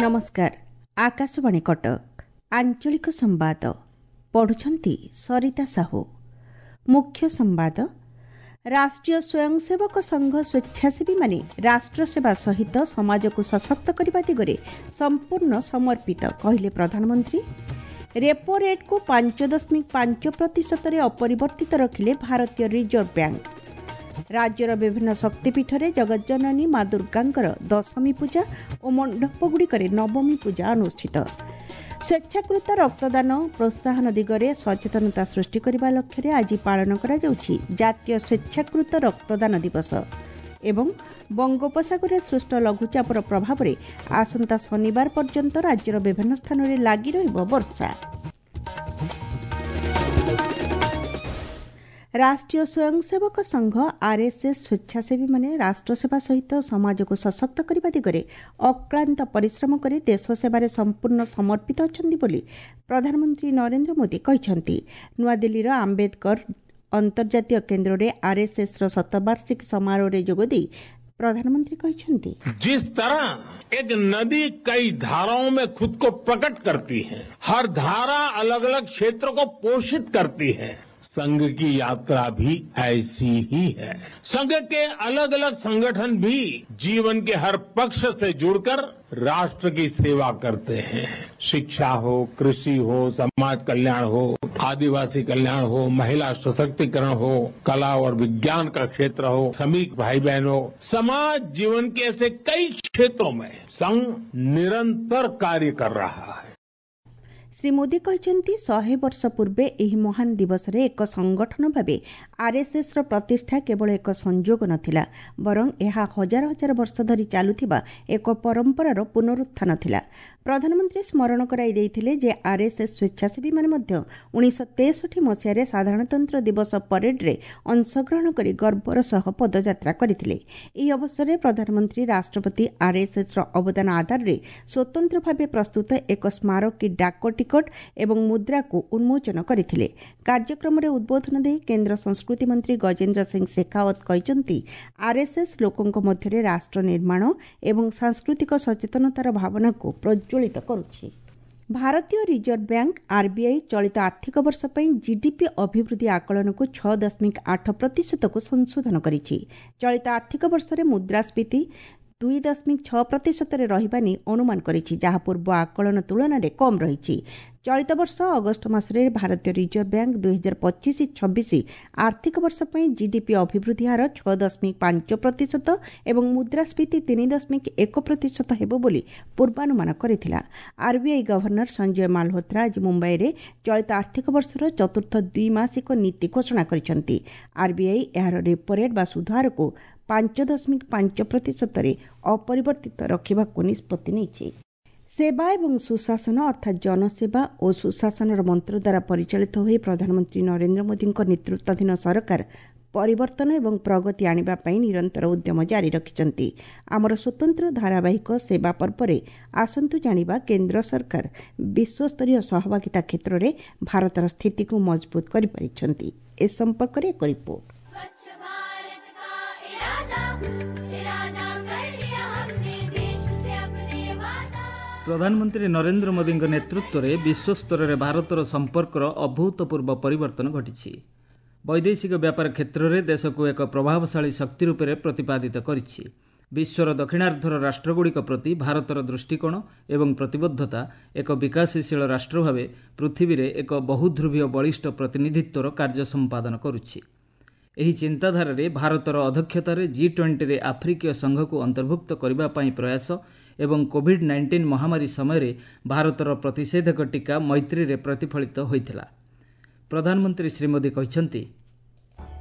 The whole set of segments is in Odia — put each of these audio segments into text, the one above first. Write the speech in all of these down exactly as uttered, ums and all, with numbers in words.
ନମସ୍କାର ଆକାଶବାଣୀ କଟକ ଆଞ୍ଚଳିକ ସମ୍ବାଦ ପଢୁଛନ୍ତି ସରିତା ସାହୁ ମୁଖ୍ୟ ସମ୍ବାଦ ରାଷ୍ଟ୍ରୀୟ ସ୍ୱୟଂସେବକ ସଂଘ ସ୍ୱେଚ୍ଛାସେବୀମାନେ ରାଷ୍ଟ୍ରସେବା ସହିତ ସମାଜକୁ ସଶକ୍ତ କରିବା ଦିଗରେ ସମ୍ପୂର୍ଣ୍ଣ ସମର୍ପିତ କହିଲେ ପ୍ରଧାନମନ୍ତ୍ରୀ ରେପୋ ରେଟ୍କୁ ପାଞ୍ଚ ଦଶମିକ ପାଞ୍ଚ ପ୍ରତିଶତରେ ଅପରିବର୍ତ୍ତିତ ରଖିଲେ ଭାରତୀୟ ରିଜର୍ଭ ବ୍ୟାଙ୍କ ରାଜ୍ୟର ବିଭିନ୍ନ ଶକ୍ତିପୀଠରେ ଜଗଜ୍ଜନନୀ ମା ଦୁର୍ଗାଙ୍କର ଦଶମୀ ପୂଜା ଓ ମଣ୍ଡପଗୁଡ଼ିକରେ ନବମୀ ପୂଜା ଅନୁଷ୍ଠିତ ସ୍ୱେଚ୍ଛାକୃତ ରକ୍ତଦାନ ପ୍ରୋତ୍ସାହନ ଦିଗରେ ସଚେତନତା ସୃଷ୍ଟି କରିବା ଲକ୍ଷ୍ୟରେ ଆଜି ପାଳନ କରାଯାଉଛି ଜାତୀୟ ସ୍ୱେଚ୍ଛାକୃତ ରକ୍ତଦାନ ଦିବସ ଏବଂ ବଙ୍ଗୋପସାଗରରେ ସୃଷ୍ଟ ଲଘୁଚାପର ପ୍ରଭାବରେ ଆସନ୍ତା ଶନିବାର ପର୍ଯ୍ୟନ୍ତ ରାଜ୍ୟର ବିଭିନ୍ନ ସ୍ଥାନରେ ଲାଗି ରହିବ ବର୍ଷା ରାଷ୍ଟ୍ରୀୟ ସ୍ୱୟଂସେବକ ସଂଘ ଆର୍ଏସ୍ଏସ୍ ସ୍ୱେଚ୍ଛାସେବୀମାନେ ରାଷ୍ଟ୍ରସେବା ସହିତ ସମାଜକୁ ସଶକ୍ତ କରିବା ଦିଗରେ ଅକ୍ଳାନ୍ତ ପରିଶ୍ରମ କରି ଦେଶ ସେବାରେ ସମ୍ପୂର୍ଣ୍ଣ ସମର୍ପିତ ଅଛନ୍ତି ବୋଲି ପ୍ରଧାନମନ୍ତ୍ରୀ ନରେନ୍ଦ୍ର ମୋଦି କହିଛନ୍ତି ନୂଆଦିଲ୍ଲୀର ଆମ୍ବେଦକର ଅନ୍ତର୍ଜାତୀୟ କେନ୍ଦ୍ରରେ ଆର୍ଏସ୍ଏସ୍ର ଶତବାର୍ଷିକୀ ସମାରୋହରେ ଯୋଗଦେଇ ପ୍ରଧାନମନ୍ତ୍ରୀ କହିଛନ୍ତି जिस तरह एक नदी कई धाराओं में खुद को प्रकट करती है हर धारा अलग अलग क्षेत्र को पोषित करती है संघ की यात्रा भी ऐसी ही है संघ के अलग अलग संगठन भी जीवन के हर पक्ष से जुड़कर राष्ट्र की सेवा करते हैं शिक्षा हो कृषि हो समाज कल्याण हो आदिवासी कल्याण हो महिला सशक्तिकरण हो कला और विज्ञान का क्षेत्र हो श्रमिक भाई बहन हो समाज जीवन के ऐसे कई क्षेत्रों में संघ निरंतर कार्य कर रहा है ଶ୍ରୀ ମୋଦି କହିଛନ୍ତି ଶହେ ବର୍ଷ ପୂର୍ବେ ଏହି ମହାନ ଦିବସରେ ଏକ ସଂଗଠନ ଭାବେ ଆର୍ଏସ୍ଏସ୍ର ପ୍ରତିଷ୍ଠା କେବଳ ଏକ ସଂଯୋଗ ନଥିଲା ବରଂ ଏହା ହଜାର ହଜାର ବର୍ଷ ଧରି ଚାଲୁଥିବା ଏକ ପରମ୍ପରାର ପୁନରୁତ୍ଥାନ ଥିଲା ପ୍ରଧାନମନ୍ତ୍ରୀ ସ୍ମରଣ କରାଇ ଦେଇଥିଲେ ଯେ ଆର୍ଏସ୍ଏସ୍ ସ୍ୱେଚ୍ଛାସେବୀମାନେ ମଧ୍ୟ ଉଣେଇଶହ ତେଷଠି ମସିହାରେ ସାଧାରଣତନ୍ତ୍ର ଦିବସ ପରେଡ୍ରେ ଅଂଶଗ୍ରହଣ କରି ଗର୍ବର ସହ ପଦଯାତ୍ରା କରିଥିଲେ ଏହି ଅବସରରେ ପ୍ରଧାନମନ୍ତ୍ରୀ ରାଷ୍ଟ୍ରପତି ଆର୍ଏସ୍ଏସ୍ର ଅବଦାନ ଆଧାରରେ ସ୍ୱତନ୍ତ୍ର ଭାବେ ପ୍ରସ୍ତୁତ ଏକ ସ୍ମାରକୀ ଡାକ ଟିକଟ ଏବଂ ମୁଦ୍ରାକୁ ଉନ୍ମୋଚନ କରିଥିଲେ କାର୍ଯ୍ୟକ୍ରମରେ ଉଦ୍ବୋଧନ ଦେଇ କେନ୍ଦ୍ର ସଂସ୍କୃତି ମନ୍ତ୍ରୀ ଗଜେନ୍ଦ୍ର ସିଂ ଶେଖାଓ୍ୱତ କହିଛନ୍ତି ଆର୍ଏସ୍ଏସ୍ ଲୋକଙ୍କ ମଧ୍ୟରେ ରାଷ୍ଟ୍ର ନିର୍ମାଣ ଏବଂ ସାଂସ୍କୃତିକ ସଚେତନତାର ଭାବନାକୁ ପ୍ରଜ୍ୱଳିତ କରୁଛି ଭାରତୀୟ ରିଜର୍ଭ ବ୍ୟାଙ୍କ ଆର୍ବିଆଇ ଚଳିତ ଆର୍ଥିକ ବର୍ଷ ପାଇଁ ଜିଡିପି ଅଭିବୃଦ୍ଧି ଆକଳନକୁ ଛଅ ଦଶମିକ ଆଠ ପ୍ରତିଶତକୁ ସଂଶୋଧନ କରିଛି ଚଳିତ ଆର୍ଥିକ ବର୍ଷରେ ମୁଦ୍ରାସ୍ଫୀତି ଦୁଇ ଦଶମିକ ଛଅ ପ୍ରତିଶତରେ ରହିବା ନେଇ ଅନୁମାନ କରିଛି ଯାହା ପୂର୍ବ ଆକଳନ ତୁଳନାରେ କମ୍ ରହିଛି ଚଳିତ ବର୍ଷ ଅଗଷ୍ଟ ମାସରେ ଭାରତୀୟ ରିଜର୍ଭ ବ୍ୟାଙ୍କ ଦୁଇହଜାର ପଚିଶ ଛବିଶ ଆର୍ଥିକ ବର୍ଷ ପାଇଁ ଜିଡିପି ଅଭିବୃଦ୍ଧି ହାର ଛଅ ଦଶମିକ ପାଞ୍ଚ ପ୍ରତିଶତ ଏବଂ ମୁଦ୍ରାସ୍ଫୀତି ତିନି ଦଶମିକ ଏକ ପ୍ରତିଶତ ହେବ ବୋଲି ପୂର୍ବାନୁମାନ କରିଥିଲା ଆର୍ବିଆଇ ଗଭର୍ଣ୍ଣର ସଞ୍ଜୟ ମାଲହୋତ୍ରା ଆଜି ମୁମ୍ବାଇରେ ଚଳିତ ଆର୍ଥିକ ବର୍ଷର ଚତୁର୍ଥ ଦ୍ୱିମାସିକ ନୀତି ଘୋଷଣା କରିଛନ୍ତି ଆର୍ବିଆଇ ଏହାର ରେପୋ ରେଟ୍ ବା ସୁଧହାରକୁ ପାଞ୍ଚ ଦଶମିକ ପାଞ୍ଚ ପ୍ରତିଶତରେ ଅପରିବର୍ତ୍ତିତ ରଖିବାକୁ ନିଷ୍ପତ୍ତି ନେଇଛି ସେବା ଏବଂ ସୁଶାସନ ଅର୍ଥାତ୍ ଜନସେବା ଓ ସୁଶାସନର ମନ୍ତ୍ର ଦ୍ୱାରା ପରିଚାଳିତ ହୋଇ ପ୍ରଧାନମନ୍ତ୍ରୀ ନରେନ୍ଦ୍ର ମୋଦିଙ୍କ ନେତୃତ୍ୱାଧୀନ ସରକାର ପରିବର୍ତ୍ତନ ଏବଂ ପ୍ରଗତି ଆଣିବା ପାଇଁ ନିରନ୍ତର ଉଦ୍ୟମ ଜାରି ରଖିଛନ୍ତି ଆମର ସ୍ୱତନ୍ତ୍ର ଧାରାବାହିକ ସେବା ପର୍ବରେ ଆସନ୍ତୁ ଜାଣିବା କେନ୍ଦ୍ର ସରକାର ବିଶ୍ୱସ୍ତରୀୟ ସହଭାଗିତା କ୍ଷେତ୍ରରେ ଭାରତର ସ୍ଥିତିକୁ ମଜବୁତ କରିପାରିଛନ୍ତି ଏ ସମ୍ପର୍କରେ ଏକ ରିପୋର୍ଟ ପ୍ରଧାନମନ୍ତ୍ରୀ ନରେନ୍ଦ୍ର ମୋଦିଙ୍କ ନେତୃତ୍ୱରେ ବିଶ୍ୱସ୍ତରରେ ଭାରତର ସମ୍ପର୍କର ଅଭୂତପୂର୍ବ ପରିବର୍ତ୍ତନ ଘଟିଛି ବୈଦେଶିକ ବ୍ୟାପାର କ୍ଷେତ୍ରରେ ଦେଶକୁ ଏକ ପ୍ରଭାବଶାଳୀ ଶକ୍ତି ରୂପରେ ପ୍ରତିପାଦିତ କରିଛି ବିଶ୍ୱର ଦକ୍ଷିଣାର୍ଦ୍ଧର ରାଷ୍ଟ୍ରଗୁଡ଼ିକ ପ୍ରତି ଭାରତର ଦୃଷ୍ଟିକୋଣ ଏବଂ ପ୍ରତିବଦ୍ଧତା ଏକ ବିକାଶଶୀଳ ରାଷ୍ଟ୍ର ଭାବେ ପୃଥିବୀରେ ଏକ ବହୁଧ୍ରୁବୀୟ ବଳିଷ୍ଠ ପ୍ରତିନିଧିତ୍ୱର କାର୍ଯ୍ୟ ସମ୍ପାଦନ କରୁଛି ଏହି ଚିନ୍ତାଧାରାରେ ଭାରତର ଅଧ୍ୟକ୍ଷତାରେ ଜି ଟ୍ୱେଣ୍ଟିରେ ଆଫ୍ରିକୀୟ ସଂଘକୁ ଅନ୍ତର୍ଭୁକ୍ତ କରିବା ପାଇଁ ପ୍ରୟାସ ଏବଂ କୋଭିଡ୍ ନାଇଣ୍ଟିନ୍ ମହାମାରୀ ସମୟରେ ଭାରତର ପ୍ରତିଷେଧକ ଟିକା ମୈତ୍ରୀରେ ପ୍ରତିଫଳିତ ହୋଇଥିଲା ପ୍ରଧାନମନ୍ତ୍ରୀ ଶ୍ରୀ ମୋଦି କହିଛନ୍ତି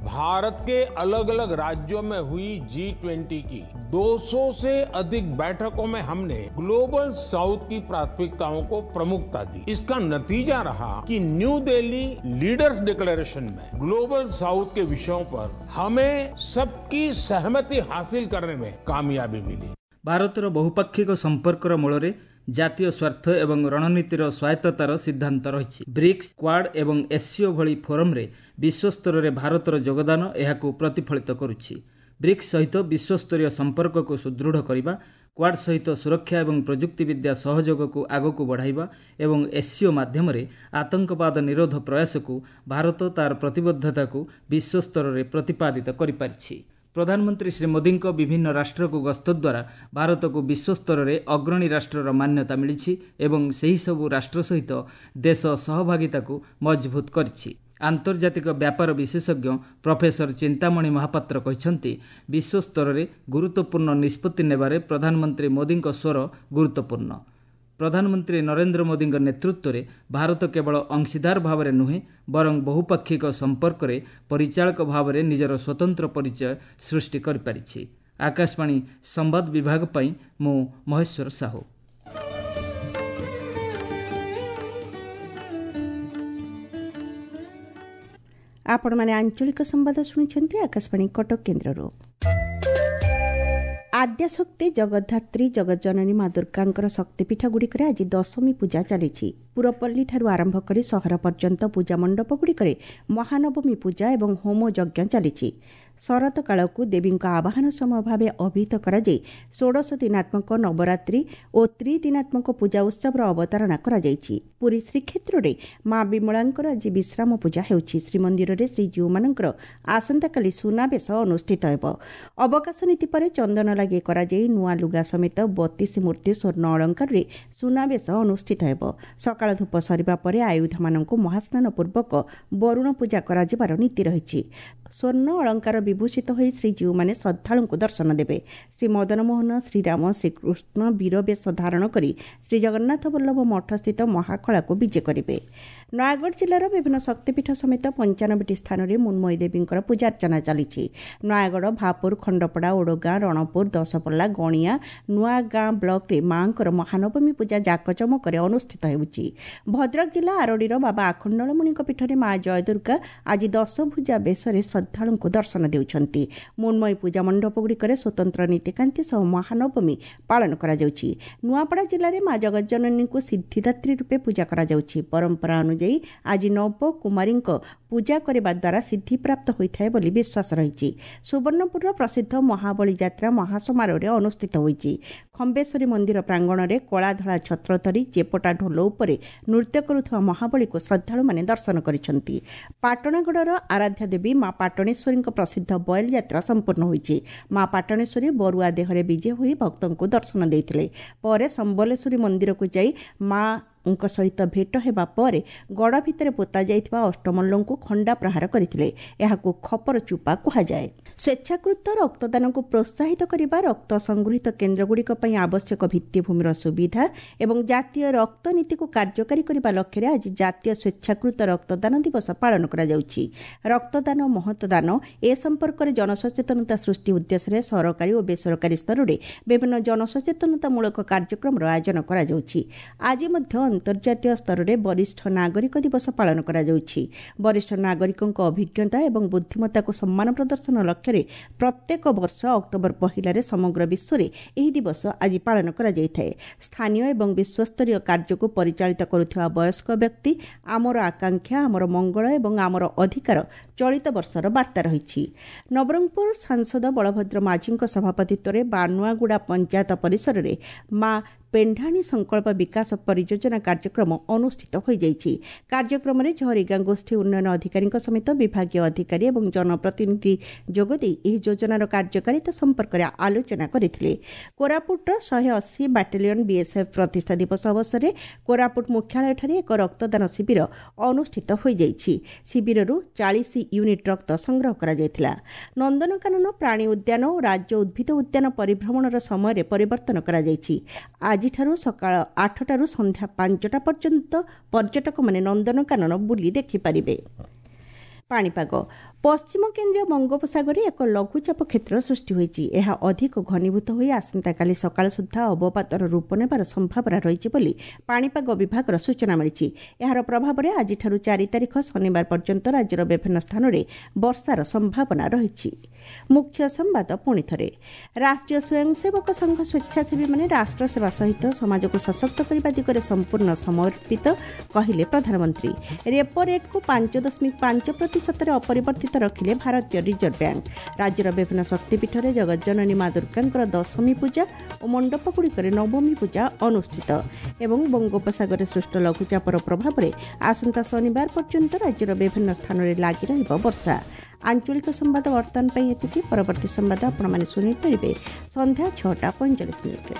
भारत के अलग अलग राज्यों में हुई जी ट्वेंटी की दो सौ से अधिक बैठकों में हमने ग्लोबल साउथ की प्राथमिकताओं को प्रमुखता दी इसका नतीजा रहा कि न्यू दिल्ली लीडर्स डिक्लेरेशन में ग्लोबल साउथ के विषयों पर हमें सबकी सहमति हासिल करने में कामयाबी मिली ଭାରତର ବହୁପାକ୍ଷିକ ସମ୍ପର୍କର ମୂଳରେ ଜାତୀୟ ସ୍ୱାର୍ଥ ଏବଂ ରଣନୀତିର ସ୍ୱାୟତ୍ତତାର ସିଦ୍ଧାନ୍ତ ରହିଛି ବ୍ରିକ୍ସ କ୍ୱାଡ୍ ଏବଂ ଏସ୍ସିଓ ଭଳି ଫୋରମ୍ରେ ବିଶ୍ୱସ୍ତରରେ ଭାରତର ଯୋଗଦାନ ଏହାକୁ ପ୍ରତିଫଳିତ କରୁଛି ବ୍ରିକ୍ସ ସହିତ ବିଶ୍ୱସ୍ତରୀୟ ସମ୍ପର୍କକୁ ସୁଦୃଢ଼ କରିବା କ୍ୱାଡ୍ ସହିତ ସୁରକ୍ଷା ଏବଂ ପ୍ରଯୁକ୍ତିବିଦ୍ୟା ସହଯୋଗକୁ ଆଗକୁ ବଢ଼ାଇବା ଏବଂ ଏସ୍ସିଓ ମାଧ୍ୟମରେ ଆତଙ୍କବାଦ ନିରୋଧ ପ୍ରୟାସକୁ ଭାରତ ତା'ର ପ୍ରତିବଦ୍ଧତାକୁ ବିଶ୍ୱସ୍ତରରେ ପ୍ରତିପାଦିତ କରିପାରିଛି। ପ୍ରଧାନମନ୍ତ୍ରୀ ଶ୍ରୀ ମୋଦିଙ୍କ ବିଭିନ୍ନ ରାଷ୍ଟ୍ରକୁ ଗସ୍ତ ଦ୍ୱାରା ଭାରତକୁ ବିଶ୍ୱସ୍ତରରେ ଅଗ୍ରଣୀ ରାଷ୍ଟ୍ରର ମାନ୍ୟତା ମିଳିଛି ଏବଂ ସେହିସବୁ ରାଷ୍ଟ୍ର ସହିତ ଦେଶ ସହଭାଗିତାକୁ ମଜଭୁତ କରିଛି। ଆନ୍ତର୍ଜାତିକ ବ୍ୟାପାର ବିଶେଷଜ୍ଞ ପ୍ରଫେସର ଚିନ୍ତାମଣି ମହାପାତ୍ର କହିଛନ୍ତି, ବିଶ୍ୱସ୍ତରରେ ଗୁରୁତ୍ୱପୂର୍ଣ୍ଣ ନିଷ୍ପତ୍ତି ନେବାରେ ପ୍ରଧାନମନ୍ତ୍ରୀ ମୋଦିଙ୍କ ସ୍ୱର ଗୁରୁତ୍ୱପୂର୍ଣ୍ଣ। ପ୍ରଧାନମନ୍ତ୍ରୀ ନରେନ୍ଦ୍ର ମୋଦିଙ୍କ ନେତୃତ୍ୱରେ ଭାରତ କେବଳ ଅଂଶୀଦାର ଭାବରେ ନୁହେଁ ବରଂ ବହୁପାକ୍ଷିକ ସମ୍ପର୍କରେ ପରିଚାଳକ ଭାବରେ ନିଜର ସ୍ୱତନ୍ତ୍ର ପରିଚୟ ସୃଷ୍ଟି କରିପାରିଛି। ଆକାଶବାଣୀ ସମ୍ବାଦ ବିଭାଗ ପାଇଁ ମୁଁ ମହେଶ୍ୱର ସାହୁ। ଆପଣମାନେ ଆଞ୍ଚଳିକ ସମ୍ବାଦ ଶୁଣୁଛନ୍ତି ଆକାଶବାଣୀ କଟକ କେନ୍ଦ୍ରରୁ। ଆଦ୍ୟାଶକ୍ତି ଜଗଦ୍ଧାତ୍ରୀ ଜଗଜ୍ଜନନୀ ମା ଦୁର୍ଗାଙ୍କର ଶକ୍ତିପୀଠଗୁଡ଼ିକରେ ଆଜି ଦଶମୀ ପୂଜା ଚାଲିଛି। ପୁରପଲ୍ଲୀଠାରୁ ଆରମ୍ଭ କରି ସହର ପର୍ଯ୍ୟନ୍ତ ପୂଜା ମଣ୍ଡପଗୁଡ଼ିକରେ ମହାନବମୀ ପୂଜା ଏବଂ ହୋମ ଯଜ୍ଞ ଚାଲିଛି। ଶରତ କାଳକୁ ଦେବୀଙ୍କ ଆବାହନ ସମୟ ଭାବେ ଅଭିହିତ କରାଯାଇ ଷୋଡ଼ଶ ଦିନାତ୍ମକ ନବରାତ୍ରି ଓ ତ୍ରିଦିନାତ୍ମକ ପୂଜା ଉତ୍ସବର ଅବତାରଣା କରାଯାଇଛି। ପୁରୀ ଶ୍ରୀକ୍ଷେତ୍ରରେ ମା ବିମଳାଙ୍କର ଆଜି ବିଶ୍ରାମ ପୂଜା ହେଉଛି। ଶ୍ରୀମନ୍ଦିରରେ ଶ୍ରୀଜୀଉମାନଙ୍କର ଆସନ୍ତାକାଲି ସୁନାବେଶ ଅନୁଷ୍ଠିତ ହେବ। ଅବକାଶ ନୀତି ପରେ ଚନ୍ଦନ ଲାଗି କରାଯାଇ ନୂଆ ଲୁଗା ସମେତ ବତିଶ ମୂର୍ତ୍ତି ସ୍ୱର୍ଣ୍ଣ ଅଳଙ୍କାରରେ ସୁନାବେଶ ଅନୁଷ୍ଠିତ ହେବ। ସକାଳ ଧୂପ ସରିବା ପରେ ଆୟୁଧମାନଙ୍କୁ ମହାସ୍ନାନ ପୂର୍ବକ ବରୁଣ ପୂଜା କରାଯିବାର ନୀତି ରହିଛି। ସ୍ୱର୍ଣ୍ଣ ଅଳଙ୍କାର ବିଭୂଷିତ ହୋଇ ଶ୍ରୀଜୀଉମାନେ ଶ୍ରଦ୍ଧାଳୁଙ୍କୁ ଦର୍ଶନ ଦେବେ। ଶ୍ରୀ ମଦନମୋହନ, ଶ୍ରୀରାମ, ଶ୍ରୀକୃଷ୍ଣ ବୀରବେଶ ଧାରଣ କରି ଶ୍ରୀଜଗନ୍ନାଥ ବଲ୍ଲଭ ମଠସ୍ଥିତ ମହାଖଳାକୁ ବିଜେ କରିବେ। ନୟାଗଡ଼ ଜିଲ୍ଲାର ବିଭିନ୍ନ ଶକ୍ତିପୀଠ ସମେତ ପଞ୍ଚାନବେଟି ସ୍ଥାନରେ ମୃଣ୍ମୟୀ ଦେବୀଙ୍କର ପୂଜାର୍ଚ୍ଚନା ଚାଲିଛି। ନୟାଗଡ଼, ଭାପୁର, ଖଣ୍ଡପଡ଼ା, ଓଡ଼ଗାଁ, ରଣପୁର, ଦଶପଲ୍ଲା, ଗଣିଆ, ନୂଆଗାଁ ବ୍ଲକରେ ମା'ଙ୍କର ମହାନବମୀ ପୂଜା ଜାକଜମକରେ ଅନୁଷ୍ଠିତ ହେଉଛି। ଭଦ୍ରକ ଜିଲ୍ଲା ଆରଡ଼ିର ବାବା ଆଖଣ୍ଡଳମଣିଙ୍କ ପୀଠରେ ମା ଜୟଦୁର୍ଗା ଆଜି ଦଶଭୁଜା ବେଶରେ ଶ୍ରଦ୍ଧାଳୁଙ୍କୁ ଦର୍ଶନ ଦେଉଛନ୍ତି। ମୃଣ୍ମୟୀ ପୂଜା ମଣ୍ଡପଗୁଡ଼ିକରେ ସ୍ୱତନ୍ତ୍ର ନୀତିକାନ୍ତି ସହ ମହାନବମୀ ପାଳନ କରାଯାଉଛି। ନୂଆପଡ଼ା ଜିଲ୍ଲାରେ ମା ଜଗଜ୍ଜନନୀଙ୍କୁ ସିଦ୍ଧିଦାତ୍ରୀ ରୂପେ ପୂଜା କରାଯାଉଛି। ପରମ୍ପରା ଅନୁଯାୟୀ ଆଜି ନବକୁମାରୀଙ୍କ ପୂଜା କରିବା ଦ୍ୱାରା ସିଦ୍ଧିପ୍ରାପ୍ତ ହୋଇଥାଏ ବୋଲି ବିଶ୍ୱାସ ରହିଛି। ସୁବର୍ଣ୍ଣପୁରର ପ୍ରସିଦ୍ଧ ମହାବଳୀ ଯାତ୍ରା ମହାସମାରୋହରେ ଅନୁଷ୍ଠିତ ହୋଇଛି। ଖମ୍ବେଶ୍ୱରୀ ମନ୍ଦିର ପ୍ରାଙ୍ଗଣରେ କଳାଧଳା ଛତ୍ର ଧରି ଚେପଟା ଢୋଲ ଉପରେ ନୃତ୍ୟ କରୁଥିବା ମହାବଳୀକୁ ଶ୍ରଦ୍ଧାଳୁମାନେ ଦର୍ଶନ କରିଛନ୍ତି। ପାଟଣାଗଡ଼ର ଆରାଧ୍ୟା ଦେବୀ ମା ପାଟଣେଶ୍ୱରୀଙ୍କ ପ୍ରସିଦ୍ଧ ବୟଲ ଯାତ୍ରା ସମ୍ପୂର୍ଣ୍ଣ ହୋଇଛି। ମା ପାଟଣେଶ୍ୱରୀ ବରୁଆ ଦେହରେ ବିଜେ ହୋଇ ଭକ୍ତଙ୍କୁ ଦର୍ଶନ ଦେଇଥିଲେ। ପରେ ସମ୍ବଲେଶ୍ୱରୀ ମନ୍ଦିରକୁ ଯାଇ ମା ଙ୍କ ସହିତ ଭେଟ ହେବା ପରେ ଗଡ଼ ଭିତରେ ପୋତା ଯାଇଥିବା ଅଷ୍ଟମଲ୍ଲଙ୍କୁ ଖଣ୍ଡା ପ୍ରହାର କରିଥିଲେ। ଏହାକୁ ଖପର ଚୁପା କୁହାଯାଏ। ସ୍ୱେଚ୍ଛାକୃତ ରକ୍ତଦାନକୁ ପ୍ରୋତ୍ସାହିତ କରିବା, ରକ୍ତ ସଂଗୃହୀତ କେନ୍ଦ୍ରଗୁଡ଼ିକ ପାଇଁ ଆବଶ୍ୟକ ଭିତ୍ତିଭୂମିର ସୁବିଧା ଏବଂ ଜାତୀୟ ରକ୍ତ ନୀତିକୁ କାର୍ଯ୍ୟକାରୀ କରିବା ଲକ୍ଷ୍ୟରେ ଆଜି ଜାତୀୟ ସ୍ୱେଚ୍ଛାକୃତ ରକ୍ତଦାନ ଦିବସ ପାଳନ କରାଯାଉଛି। ରକ୍ତଦାନ ମହତଦାନ ଏ ସମ୍ପର୍କରେ ଜନସଚେତନତା ସୃଷ୍ଟି ଉଦ୍ଦେଶ୍ୟରେ ସରକାରୀ ଓ ବେସରକାରୀ ସ୍ତରରେ ବିଭିନ୍ନ ଜନସଚେତନତାମୂଳକ କାର୍ଯ୍ୟକ୍ରମର ଆୟୋଜନ କରାଯାଉଛି। ଆଜି ମଧ୍ୟ ଅନ୍ତର୍ଜାତୀୟ ସ୍ତରରେ ବରିଷ୍ଠ ନାଗରିକ ଦିବସ ପାଳନ କରାଯାଉଛି। ବରିଷ୍ଠ ନାଗରିକଙ୍କ ଅଭିଜ୍ଞତା ଏବଂ ବୁଦ୍ଧିମତ୍ତାକୁ ସମ୍ମାନ ପ୍ରଦର୍ଶନ ଲକ୍ଷ୍ୟରେ ପ୍ରତ୍ୟେକ ବର୍ଷ ଅକ୍ଟୋବର ପହିଲାରେ ସମଗ୍ର ବିଶ୍ୱରେ ଏହି ଦିବସ ଆଜି ପାଳନ କରାଯାଇଥାଏ। ସ୍ଥାନୀୟ ଏବଂ ବିଶ୍ୱସ୍ତରୀୟ କାର୍ଯ୍ୟକୁ ପରିଚାଳିତ କରୁଥିବା ବୟସ୍କ ବ୍ୟକ୍ତି ଆମର ଆକାଂକ୍ଷା, ଆମର ମଙ୍ଗଳ ଏବଂ ଆମର ଅଧିକାର ଚଳିତ ବର୍ଷର ବାର୍ତ୍ତା ରହିଛି। ନବରଙ୍ଗପୁର ସାଂସଦ ବଳଭଦ୍ର ମାଝୀଙ୍କ ସଭାପତିତ୍ୱରେ ବାନୁଆଗୁଡ଼ା ପଞ୍ଚାୟତ ପରିସରରେ ମା ପେଣ୍ଢାଣୀ ସଂକଳ୍ପ ବିକାଶ ପରିଯୋଜନା କାର୍ଯ୍ୟକ୍ରମ ଅନୁଷ୍ଠିତ ହୋଇଯାଇଛି। କାର୍ଯ୍ୟକ୍ରମରେ ଝରିଗାଁ ଗୋଷ୍ଠୀ ଉନ୍ନୟନ ଅଧିକାରୀଙ୍କ ସମେତ ବିଭାଗୀୟ ଅଧିକାରୀ ଏବଂ ଜନପ୍ରତିନିଧି ଯୋଗଦେଇ ଏହି ଯୋଜନାର କାର୍ଯ୍ୟକାରିତା ସମ୍ପର୍କରେ ଆଲୋଚନା କରିଥିଲେ। କୋରାପୁଟର ଶହେ ଅଶୀ ବାଟାଲିୟନ ବିଏସ୍ଏଫ୍ ପ୍ରତିଷ୍ଠା ଦିବସ ଅବସରରେ କୋରାପୁଟ ମୁଖ୍ୟାଳୟଠାରେ ଏକ ରକ୍ତଦାନ ଶିବିର ଅନୁଷ୍ଠିତ ହୋଇଯାଇଛି। ଶିବିରରୁ ଚାଳିଶ ୟୁନିଟ୍ ରକ୍ତ ସଂଗ୍ରହ କରାଯାଇଥିଲା। ନନ୍ଦନକାନନ ପ୍ରାଣୀ ଉଦ୍ୟାନ ଓ ରାଜ୍ୟ ଉଦ୍ଭିଦ ଉଦ୍ୟାନ ପରିଭ୍ରମଣର ସମୟରେ ପରିବର୍ତ୍ତନ କରାଯାଇଛି। ଆଜିଠାରୁ ସକାଳ ଆଠଟାରୁ ସନ୍ଧ୍ୟା ପାଞ୍ଚଟା ପର୍ଯ୍ୟନ୍ତ ପର୍ଯ୍ୟଟକମାନେ ନନ୍ଦନକାନନ ବୁଲି ଦେଖିପାରିବେ। ପାଣିପାଗ ପଶ୍ଚିମ କେନ୍ଦ୍ରୀୟ ବଙ୍ଗୋପସାଗରରେ ଏକ ଲଘୁଚାପ କ୍ଷେତ୍ର ସୃଷ୍ଟି ହୋଇଛି। ଏହା ଅଧିକ ଘନୀଭୂତ ହୋଇ ଆସନ୍ତାକାଲି ସକାଳ ସୁଦ୍ଧା ଅବପାତର ରୂପ ନେବାର ସମ୍ଭାବନା ରହିଛି ବୋଲି ପାଣିପାଗ ବିଭାଗର ସୂଚନା ମିଳିଛି। ଏହାର ପ୍ରଭାବରେ ଆଜିଠାରୁ ଚାରି ତାରିଖ ଶନିବାର ପର୍ଯ୍ୟନ୍ତ ରାଜ୍ୟର ବିଭିନ୍ନ ସ୍ଥାନରେ ବର୍ଷାର ସମ୍ଭାବନା ରହିଛି। ମୁଖ୍ୟ ସମ୍ବାଦ ପୁଣି ଥରେ, ରାଷ୍ଟ୍ରୀୟ ସ୍ୱୟଂସେବକ ସଂଘ ସ୍ୱେଚ୍ଛାସେବୀମାନେ ରାଷ୍ଟ୍ରସେବା ସହିତ ସମାଜକୁ ସଶକ୍ତ କରିବା ଦିଗରେ ସମ୍ପୂର୍ଣ୍ଣ ସମର୍ପିତ କହିଲେ ପ୍ରଧାନମନ୍ତ୍ରୀ। ରେପୋ ରେଟ୍କୁ ପାଞ୍ଚ ଦଶମିକ ପାଞ୍ଚ ପ୍ରତିଶତରେ ଅପରିବର୍ତ୍ତିତ ସ୍ଥଗିତ ରଖିଲେ ଭାରତୀୟ ରିଜର୍ଭ ବ୍ୟାଙ୍କ। ରାଜ୍ୟର ବିଭିନ୍ନ ଶକ୍ତିପୀଠରେ ଜଗଜ୍ଜନନୀ ମା ଦୁର୍ଗାଙ୍କର ଦଶମୀ ପୂଜା ଓ ମଣ୍ଡପଗୁଡ଼ିକରେ ନବମୀ ପୂଜା ଅନୁଷ୍ଠିତ। ଏବଂ ବଙ୍ଗୋପସାଗରରେ ସୃଷ୍ଟ ଲଘୁଚାପର ପ୍ରଭାବରେ ଆସନ୍ତା ଶନିବାର ପର୍ଯ୍ୟନ୍ତ ରାଜ୍ୟର ବିଭିନ୍ନ ସ୍ଥାନରେ ଲାଗି ରହିବ ବର୍ଷା। ଆଞ୍ଚଳିକ ସମ୍ବାଦ ବର୍ତ୍ତମାନ ପାଇଁ ଏତିକି। ପରବର୍ତ୍ତୀ ସମ୍ବାଦ ଆପଣମାନେ ଶୁଣିପାରିବେ ସନ୍ଧ୍ୟା ଛଅଟା ପଇଁଚାଳିଶ ମିନିଟ୍ରେ।